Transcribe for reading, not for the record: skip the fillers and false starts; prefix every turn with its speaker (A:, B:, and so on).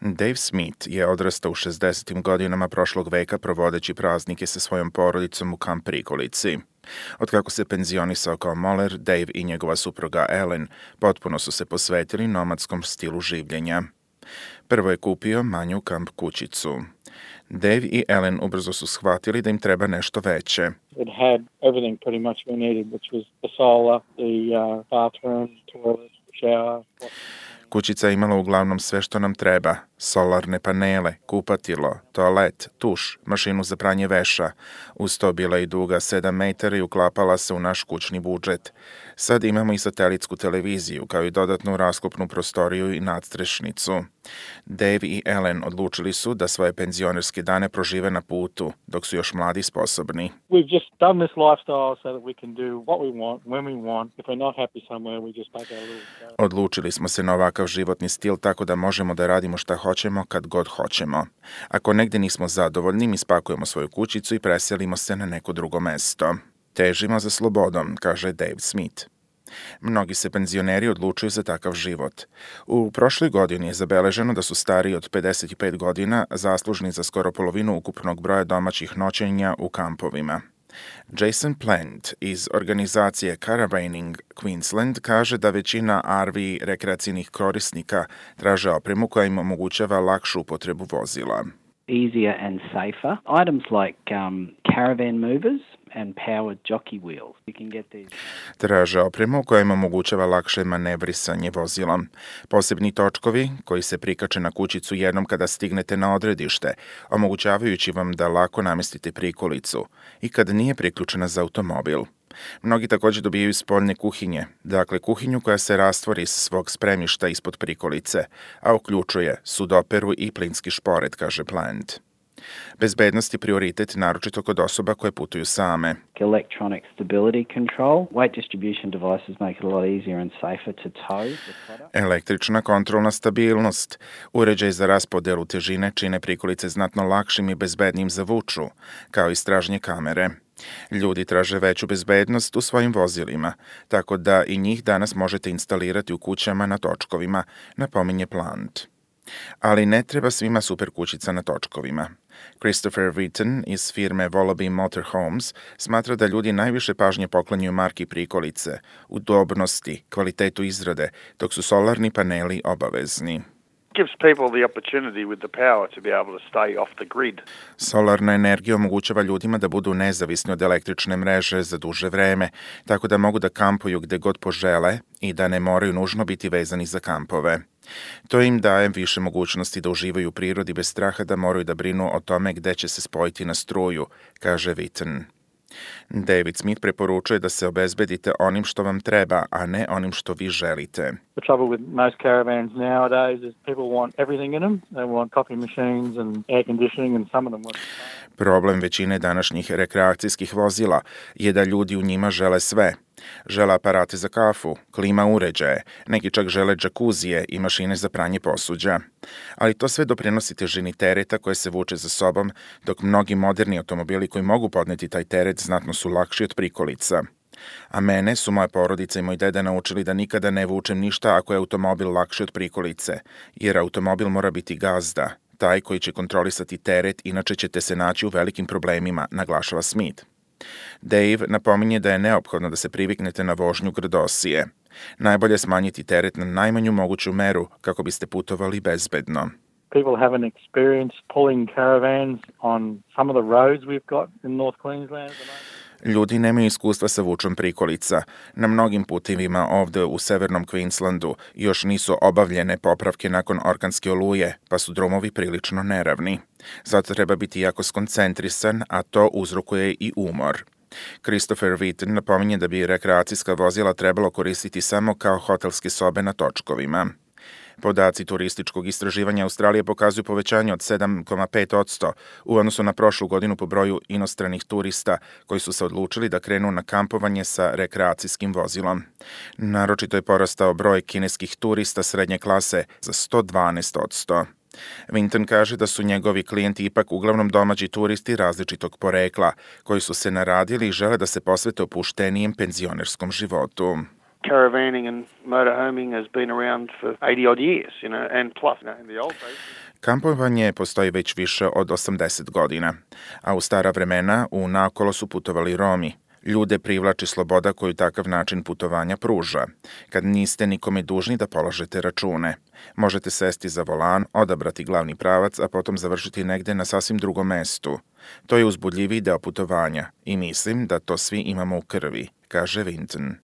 A: Dave Smith je odrastao u 60. godinama prošlog veka provodeći praznike sa svojom porodicom u Kamp Prikolici. Otkako se penzionisao kao moler, Dave i njegova supruga Ellen potpuno su se posvetili nomadskom stilu življenja. Prvo je kupio manju kamp kućicu. Dave i Ellen ubrzo su shvatili da im treba nešto veće.
B: It had everything pretty much we needed, which was the solar, the bathroom, toilet, shower.
A: Kućica je imala uglavnom sve što nam treba. Solarne panele, kupatilo, toalet, tuš, mašinu za pranje veša. Uz to bila i duga 7 metara i uklapala se u naš kućni budžet. Sad imamo i satelitsku televiziju, kao i dodatnu rasklopnu prostoriju i nadstrešnicu. Dave i Ellen odlučili su da svoje penzionerske dane prožive na putu, dok su još mladi i sposobni.
B: We've just done this lifestyle so that we can do what we want, when we want. If we're not happy somewhere, we just take our little...
A: Odlučili smo se na ovakav životni stil tako da možemo da radimo šta hoćemo kad god hoćemo. Ako negde nismo zadovoljni, mi spakujemo svoju kućicu i preselimo se na neko drugo mesto. Težimo za slobodom, kaže Dave Smith. Mnogi se penzioneri odlučuju za takav život. U prošloj godini je zabeleženo da su stariji od 55 godina zaslužni za skoro polovinu ukupnog broja domaćih noćenja u kampovima. Jason Plant iz organizacije Caravaning Queensland kaže da većina RV rekreacijnih korisnika traže opremu koja im omogućava lakšu upotrebu vozila.
C: Easier and safer. Items like caravan movers and powered jockey wheels. You can get these.
A: Traže opremu koja im omogućava lakše manevrisanje vozilom. Posebni točkovi koji se prikače na kućicu jednom kada stignete na odredište, omogućavajući vam da lako namestite prikolicu i kada nije priključena za automobil. Mnogi također dobijaju spoljne kuhinje, dakle kuhinju koja se rastvori iz svog spremišta ispod prikolice, a uključuje sudoperu i plinski šporet, kaže Plant. Bezbednost je prioritet naročito kod osoba koje putuju same.
C: Electronic stability control, weight distribution devices make it a lot easier and safer to tow the product.
A: Električna kontrolna stabilnost. Uređaj za raspodelu težine čine prikolice znatno lakšim i bezbednim za vuču, kao i stražnje kamere. Ljudi traže veću bezbednost u svojim vozilima, tako da i njih danas možete instalirati u kućama na točkovima, napominje Plant. Ali ne treba svima super kućica na točkovima. Christopher Witten iz firme Wallaby Motorhomes smatra da ljudi najviše pažnje poklanjaju marki prikolice, udobnosti, kvalitetu izrade, dok su solarni paneli obavezni.
D: Gives people the opportunity with the power to be able to stay off the grid.
A: Solarna energija omogućava ljudima da budu nezavisni od električne mreže za duže vreme, tako da mogu da kampuju gde god požele i da ne moraju nužno biti vezani za kampove. To im daje više mogućnosti da uživaju u prirodi bez straha da moraju da brinu o tome gde će se spojiti na struju, kaže Witten. David Smith preporučuje da se obezbedite onim što vam treba, a ne onim što vi želite.
B: The trouble with most caravans nowadays is people want everything in them. They want coffee machines and air conditioning and some of them want...
A: Problem većine današnjih rekreacijskih vozila je da ljudi u njima žele sve. Žele aparate za kafu, klima uređaje, neki čak žele džakuzije i mašine za pranje posuđa. Ali to sve doprinosi težini tereta koje se vuče za sobom, dok mnogi moderni automobili koji mogu podneti taj teret znatno su lakši od prikolica. A mene su moja porodica i moj deda naučili da nikada ne vučem ništa ako je automobil lakši od prikolice, jer automobil mora biti gazda, taj koji će kontrolisati teret, inače ćete se naći u velikim problemima, naglašava Smith. Dave napominje da je neophodno da se priviknete na vožnju grdosije. Najbolje smanjiti teret na najmanju moguću meru kako biste putovali bezbedno.
B: People haven't experienced pulling caravans on some of the roads we've got in North Queensland.
A: Ljudi nemaju iskustva sa vučom prikolica. Na mnogim putevima ovde u severnom Queenslandu još nisu obavljene popravke nakon orkanske oluje, pa su drumovi prilično neravni. Zato treba biti jako skoncentrisan, a to uzrokuje i umor. Christopher Witten napominje da bi rekreacijska vozila trebalo koristiti samo kao hotelske sobe na točkovima. Podaci turističkog istraživanja Australije pokazuju povećanje od 7,5% u odnosu na prošlu godinu po broju inostranih turista koji su se odlučili da krenu na kampovanje sa rekreacijskim vozilom. Naročito je porastao broj kineskih turista srednje klase za 112%. Winton kaže da su njegovi klijenti ipak uglavnom domaći turisti različitog porekla, koji su se naradili i žele da se posvete opuštenijem penzionerskom životu.
D: Caravanning and motorhoming has been around for 80 odd years, and plus, in the old days.
A: Kampovanje postoji već više od 80 godina, a u stara vremena u naokolo su putovali Romi. Ljude privlači sloboda koju takav način putovanja pruža, kad niste nikome dužni da polažete račune. Možete sesti za volan, odabrati glavni pravac, a potom završiti negde na sasvim drugom mestu. To je uzbudljiviji deo putovanja i mislim da to svi imamo u krvi, kaže Vinton.